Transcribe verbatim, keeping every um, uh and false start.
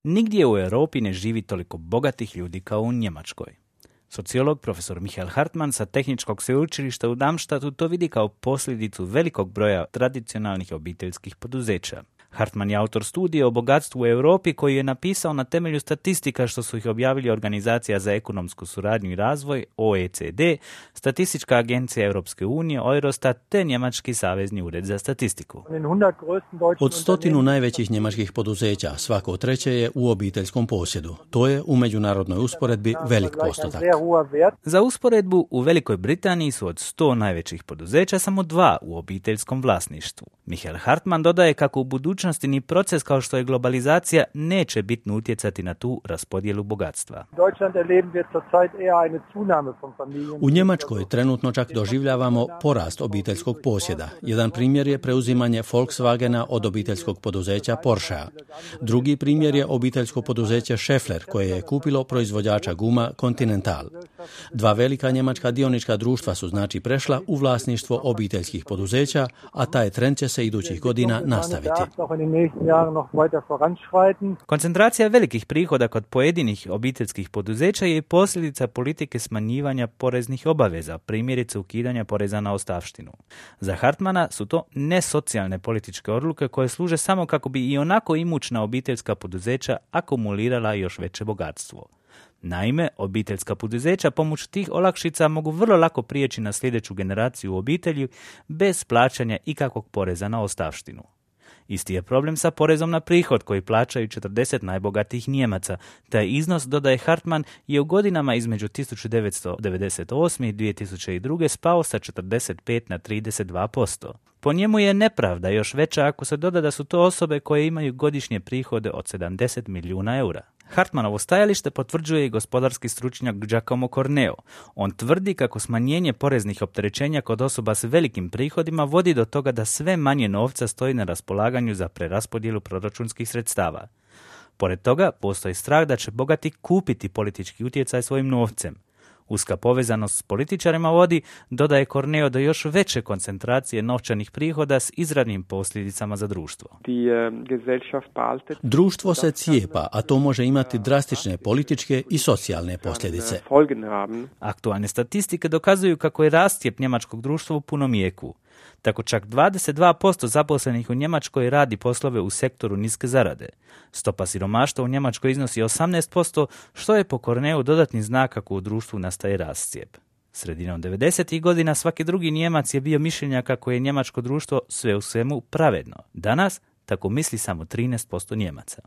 Nigdje u Europi ne živi toliko bogatih ljudi kao u Njemačkoj. Sociolog profesor Michael Hartmann sa Tehničkog sveučilišta u Darmstadtu to vidi kao posljedicu velikog broja tradicionalnih obiteljskih poduzeća. Hartmann je autor studije o bogatstvu u Europi koji je napisao na temelju statistika što su ih objavili Organizacija za ekonomsku suradnju i razvoj O E C D, Statistička agencija Europske unije, Eurostat te Njemački savezni ured za statistiku. Od stotinu najvećih njemačkih poduzeća svako treće je u obiteljskom posjedu. To je u međunarodnoj usporedbi velik postotak. Za usporedbu, u Velikoj Britaniji su od sto najvećih poduzeća samo dva u obiteljskom vlasništvu. Michael Hartmann dodaje kako u budućnosti ni proces kao što je globalizacija neće bitno utjecati na tu raspodjelu bogatstva. U Njemačkoj trenutno čak doživljavamo porast obiteljskog posjeda. Jedan primjer je preuzimanje Volkswagena od obiteljskog poduzeća Porschea. Drugi primjer je obiteljsko poduzeće Schaeffler koje je kupilo proizvođača guma Continental. Dva velika njemačka dionička društva su znači prešla u vlasništvo obiteljskih poduzeća, a taj trend će se idućih godina nastaviti. Koncentracija velikih prihoda kod pojedinih obiteljskih poduzeća je posljedica politike smanjivanja poreznih obaveza, primjerice ukidanja poreza na ostavštinu. Za Hartmana su to nesocijalne političke odluke koje služe samo kako bi i onako imućna obiteljska poduzeća akumulirala još veće bogatstvo. Naime, obiteljska poduzeća pomoću tih olakšica mogu vrlo lako prijeći na sljedeću generaciju u obitelji bez plaćanja ikakvog poreza na ostavštinu. Isti je problem sa porezom na prihod koji plaćaju četrdeset najbogatijih Nijemaca. Taj iznos, dodaje Hartmann, je u godinama između tisuću devetsto devedeset osme i dvije tisuće druge spao sa četrdeset pet na trideset dva posto. Po njemu je nepravda još veća ako se doda da su to osobe koje imaju godišnje prihode od sedamdeset milijuna eura. Hartmanovo stajalište potvrđuje i gospodarski stručnjak Giacomo Corneo. On tvrdi kako smanjenje poreznih opterećenja kod osoba s velikim prihodima vodi do toga da sve manje novca stoji na raspolaganju za preraspodjelu proračunskih sredstava. Pored toga, postoji strah da će bogati kupiti politički utjecaj svojim novcem. Uska povezanost s političarima vodi, dodaje Corneo, do još veće koncentracije novčanih prihoda s izravnim posljedicama za društvo. Društvo se cijepa, a to može imati drastične političke i socijalne posljedice. Aktualne statistike dokazuju kako je rastjep njemačkog društva u punom jeku. Tako čak dvadeset dva posto zaposlenih u Njemačkoj radi poslove u sektoru niske zarade. Stopa siromaštva u Njemačkoj iznosi osamnaest posto, što je po Corneu dodatni znak kako u društvu nastaje rascijep. Sredinom devedesetih godina svaki drugi Nijemac je bio mišljenja kako je njemačko društvo sve u svemu pravedno. Danas tako misli samo trinaest posto Nijemaca.